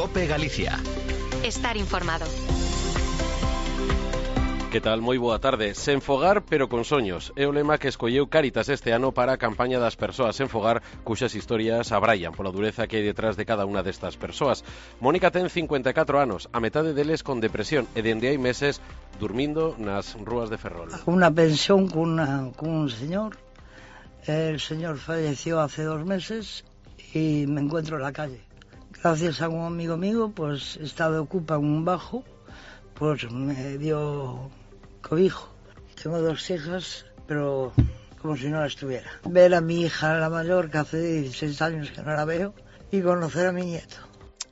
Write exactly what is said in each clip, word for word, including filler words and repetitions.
COPE Galicia. Estar informado. Que tal? Moi boa tarde. Sen fogar, pero con soños. É o lema que escolleu Cáritas este ano para a campaña das persoas sen fogar, cuxas historias abraian pola dureza que hai detrás de cada unha destas persoas. Mónica ten cincuenta e catro anos, a metade deles con depresión e dende hai meses durmindo nas rúas de Ferrol. Unha pensión con, una, con un señor. El señor falleció hace dos meses y me encuentro en la calle. Gracias a un amigo mío, pues estaba ocupa un bajo, pues me dio cobijo. Tengo dos hijas, pero como si no la estuviera. Ver a mi hija, la mayor, que hace dieciséis años que no la veo, y conocer a mi nieto.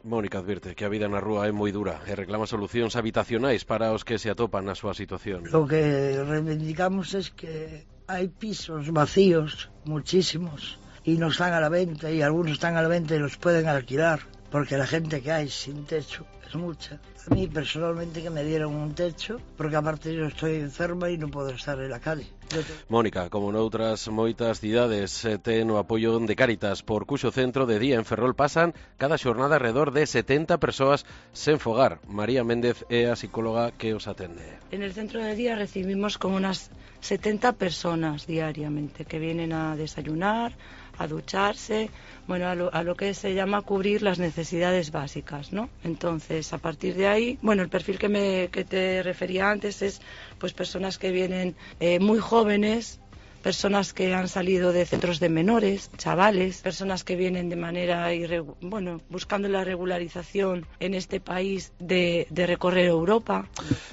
Mónica advirte que a vida na rúa é moi dura e reclama solucións habitacionais para os que se atopan na súa situación. Lo que reivindicamos es que hay pisos vacíos, muchísimos, y no están a la venta, y algunos están a la venta y los pueden alquilar, porque la gente que hay sin techo es mucha. A mí personalmente que me dieron un techo, porque aparte yo estoy enferma y no puedo estar en la calle. Te... Mónica, como noutras moitas cidades, ten o apoio de Cáritas, por cuxo centro de día en Ferrol pasan cada xornada alrededor de setenta persoas sen fogar. María Méndez é a psicóloga que os atende. En el centro de día recibimos como unas setenta personas diariamente que vienen a desayunar, a ducharse, bueno, a lo, a lo que se llama cubrir las necesidades básicas, ¿no? Entonces, a partir de ahí, bueno, el perfil que me que te refería antes es, pues, personas que vienen eh, muy jóvenes, personas que han salido de centros de menores, chavales, personas que vienen de manera, irregu- bueno, buscando la regularización en este país de, de recorrer Europa.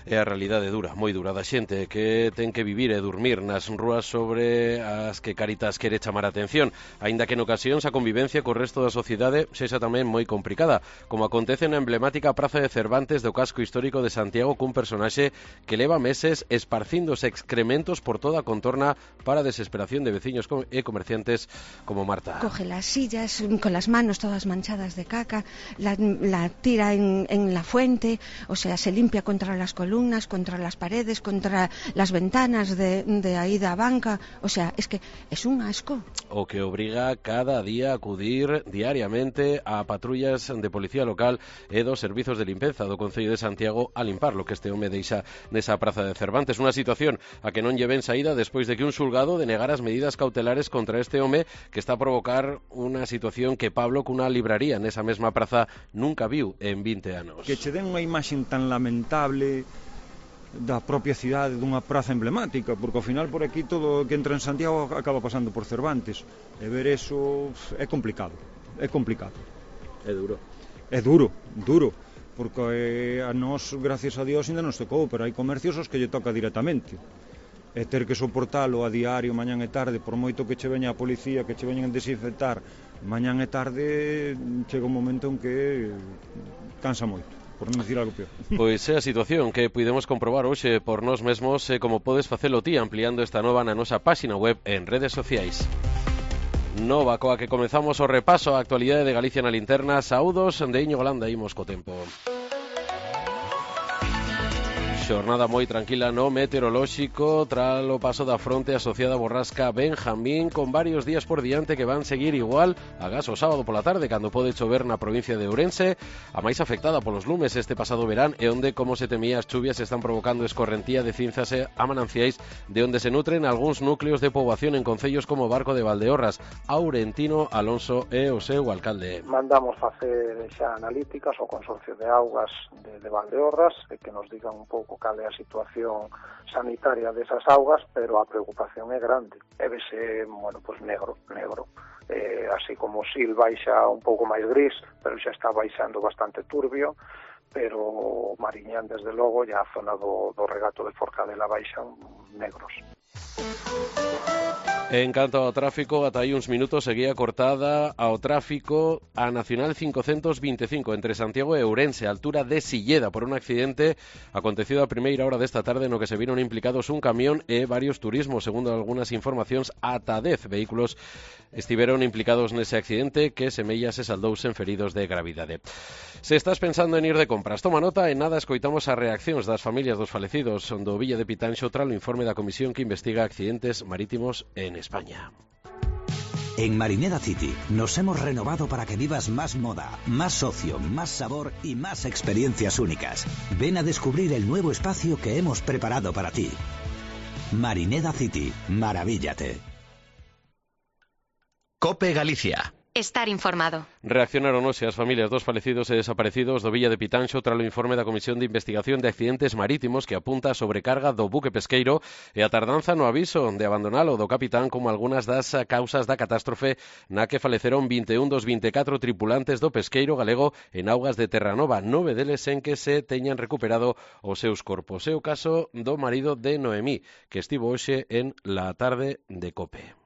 É a realidade dura, moi dura da xente que ten que vivir e dormir nas rúas sobre as que Cáritas quere chamar a atención, aínda que en ocasións a convivencia co resto da sociedade sexa tamén moi complicada, como acontece na emblemática Praza de Cervantes do casco histórico de Santiago, cun personaxe que leva meses esparcindo os excrementos por toda a contorna para desesperación de veciños e comerciantes como Marta. Coge las sillas con las manos todas manchadas de caca, la, la tira en, en la fuente, o sea, se limpia contra las columnas, contra las paredes, contra las ventanas de, de ahí da banca, o sea, es que es un asco. O que obriga cada día a acudir diariamente a patrullas de policía local e dos servizos de limpeza do Concello de Santiago a limpar lo que este home deixa nesa Praza de Cervantes, unha situación a que non lle ven saída despois de que un xulgado denegar as medidas cautelares contra este home que está a provocar unha situación que Pablo, cunha libraría nesa mesma praza, nunca viu en vinte anos. Que che den unha imaxe tan lamentable da propia cidade dunha praza emblemática, porque ao final por aquí todo o que entra en Santiago acaba pasando por Cervantes, e ver eso é complicado, é complicado. É duro. É duro, duro, porque a nós, gracias a Dios, ainda nos tocou, pero hai comercios os que lle toca directamente. E ter que soportalo a diario, mañán e tarde, por moito que che veña a policía, que che veñan a desinfectar, mañán e tarde chega un momento en que cansa moito, por non dicir algo peor. Pois é a situación que podemos comprobar hoxe por nós mesmos e como podes facelo ti ampliando esta nova na nosa páxina web en redes sociais. Nova coa que comezamos o repaso á actualidade de Galicia na linterna. Saúdos de Iñigo Landa, imos co tempo. Xornada moi tranquila no meteorolóxico tras o paso da fronte asociada a borrasca Benjamín, con varios días por diante que van seguir igual agás o sábado pola tarde, cando pode chover na provincia de Ourense, a máis afectada polos lumes este pasado verán, e onde, como se temía, as chuvias están provocando escorrentía de cinzas e a mananciais, de onde se nutren algúns núcleos de poboación en concellos como Barco de Valdeorras. Aurentino Alonso é o seu alcalde. Mandamos facer xa analíticas ao Consorcio de Augas de, de Valdeorras, e que nos digan un pouco cal é a situación sanitaria desas augas, pero a preocupación é grande. E vese, bueno, pues negro, negro. Eh, así como o Sil baixa un pouco máis gris, pero xa está baixando bastante turbio, pero Mariñán, desde logo, e a zona do, do regato de Forcadela baixan negros. En canto ao tráfico, ata aí uns minutos seguía cortada ao tráfico a Nacional cincocentos vinte e cinco entre Santiago e Ourense, a altura de Silleda, por un accidente acontecido a primeira hora desta tarde no que se viron implicados un camión e varios turismos. Segundo algunhas informacións, ata dez vehículos estiveron implicados nese accidente que semella se saldouse en feridos de gravidade. Se estás pensando en ir de compras, toma nota, e nada escoitamos as reaccións das familias dos falecidos do Villa de Pitanxo tras o informe da comisión que investiga accidentes marítimos en España. En Marineda City nos hemos renovado para que vivas más moda, más ocio, más sabor y más experiencias únicas. Ven a descubrir el nuevo espacio que hemos preparado para ti. Marineda City, maravíllate. COPE Galicia. Estar informado. Reaccionaron hoxe as familias dos falecidos e desaparecidos do Villa de Pitanxo tras o informe da Comisión de Investigación de Accidentes Marítimos que apunta a sobrecarga do buque pesqueiro e a tardanza no aviso de abandonalo do capitán como algunhas das causas da catástrofe na que faleceron vinte e un dos vinte e catro tripulantes do pesqueiro galego en augas de Terranova, nove deles en que se teñan recuperado os seus corpos. É o caso do marido de Noemí, que estivo hoxe en la tarde de COPE.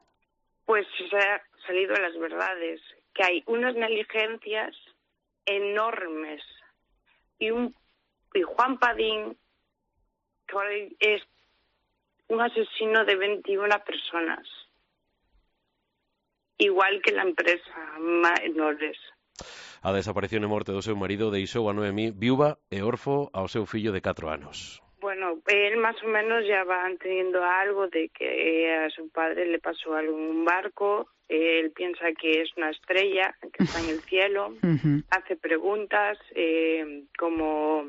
Pues se ha salido a las verdades, que hay unas negligencias enormes y un y Juan Padín que es un asesino de veintiuna personas, igual que la empresa Menores. A desaparición e morte do seu marido deixou a Noemí viúva e orfo ao seu fillo de catro anos. Bueno, él más o menos ya va teniendo algo de que a su padre le pasó algo en un barco. Él piensa que es una estrella que está en el cielo. Uh-huh. Hace preguntas eh, como,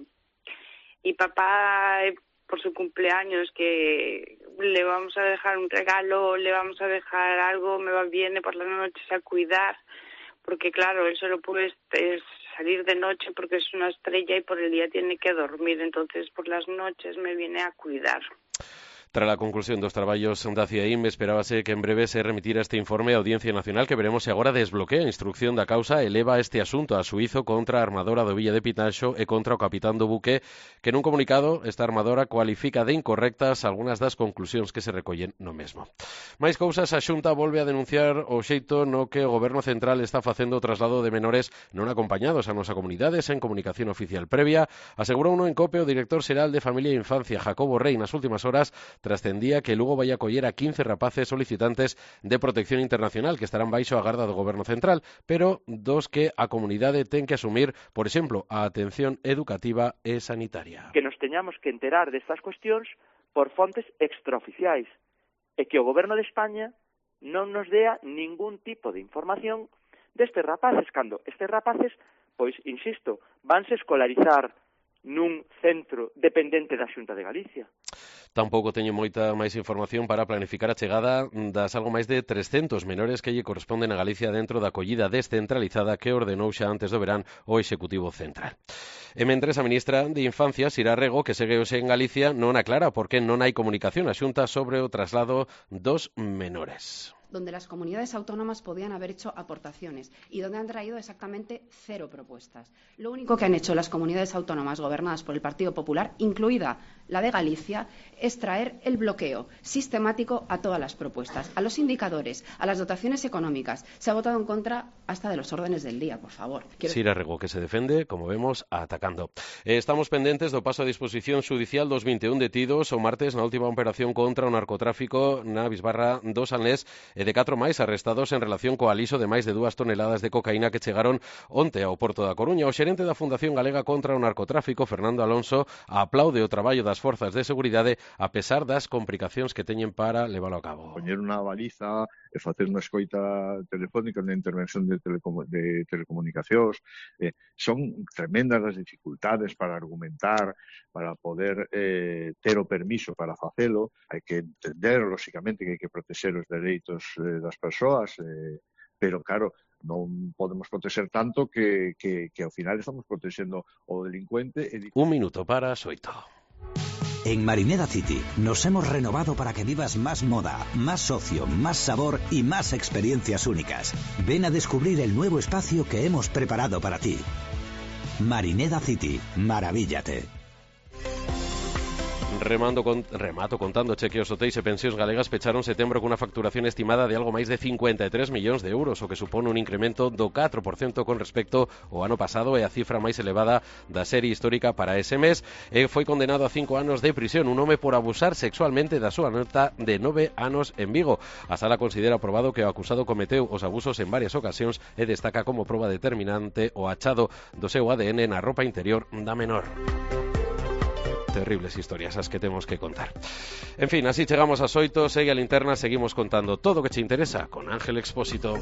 y papá por su cumpleaños que le vamos a dejar un regalo, le vamos a dejar algo, me va viene por las noches a cuidar, porque claro, él solo puede salir de noche porque es una estrella y por el día tiene que dormir, entonces por las noches me viene a cuidar. Tras a conclusión dos traballos da C I A I M, esperábase que en breve se remitira este informe á Audiencia Nacional, que veremos se agora desbloquea a instrucción da causa e leva este asunto a xuízo contra a armadora do Villa de Pitanxo e contra o capitán do buque, que nun comunicado esta armadora cualifica de incorrectas algunhas das conclusións que se recollen no mesmo. Mais cousas, a Xunta volve a denunciar o xeito no que o Goberno Central está facendo o traslado de menores non acompañados a nosa comunidade sen comunicación oficial previa. Asegurou uno en COPE o director xeral de Familia e Infancia, Jacobo Rey, nas últimas horas trascendía que Lugo vai acoller a quince rapaces solicitantes de protección internacional que estarán baixo a garda do Goberno Central, pero dos que a comunidade ten que asumir, por exemplo, a atención educativa e sanitaria. Que nos teñamos que enterar destas cuestións por fontes extraoficiais e que o Goberno de España non nos dea ningún tipo de información destes rapaces, cando estes rapaces, pois, insisto, vanse escolarizar nun centro dependente da Xunta de Galicia. Tampouco teño moita máis información para planificar a chegada das algo máis de trescentos menores que lle corresponden a Galicia dentro da acollida descentralizada que ordenou xa antes do verán o Executivo Central. E mentres a ministra de Infancia, Sira Rego, que segue hoxe en Galicia, non aclara por que non hai comunicación a Xunta sobre o traslado dos menores. Donde las comunidades autónomas podían haber hecho aportaciones y donde han traído exactamente cero propuestas. Lo único que han hecho las comunidades autónomas gobernadas por el Partido Popular, incluida la de Galicia, es traer el bloqueo sistemático a todas las propuestas, a los indicadores, a las dotaciones económicas. Se ha votado en contra hasta de los órdenes del día, por favor. Quiero... Sira Rego, que se defende, como vemos, atacando. Eh, estamos pendentes do paso a disposición judicial dos vinte e un detidos o martes na última operación contra o narcotráfico na bisbarra do Sanlés e de catro máis arrestados en relación co aliso de máis de dúas toneladas de cocaína que chegaron onte ao Porto da Coruña. O xerente da Fundación Galega contra o Narcotráfico, Fernando Alonso, aplaude o traballo das forzas de seguridade a pesar das complicacións que teñen para leválo a cabo. Poñer unha baliza e facer unha escoita telefónica na intervención de, telecomu de telecomunicacións eh, son tremendas as dificultades para argumentar, para poder eh, ter o permiso para facelo. Hai que entender, lóxicamente, que hai que protexer os dereitos eh, das persoas, eh, pero claro, non podemos protexer tanto que, que, que ao final estamos protexendo o delincuente. E... Un minuto para as oito. En Marineda City nos hemos renovado para que vivas más moda, más ocio, más sabor y más experiencias únicas. Ven a descubrir el nuevo espacio que hemos preparado para ti. Marineda City, maravíllate. Remando con, remato contando che que os hotéis e pensións galegas pecharon setembro cunha facturación estimada de algo máis de cincuenta e tres millóns de euros, o que supone un incremento do catro por cento con respecto ao ano pasado e a cifra máis elevada da serie histórica para ese mes. E foi condenado a cinco anos de prisión un home por abusar sexualmente da súa neta de nove anos en Vigo. A sala considera aprobado que o acusado cometeu os abusos en varias ocasións e destaca como proba determinante o achado do seu A D N na roupa interior da menor. terribles historias as que temos que contar. En fin, así chegamos ás oito, segue a linterna, seguimos contando todo o que che interesa con Ángel Expósito.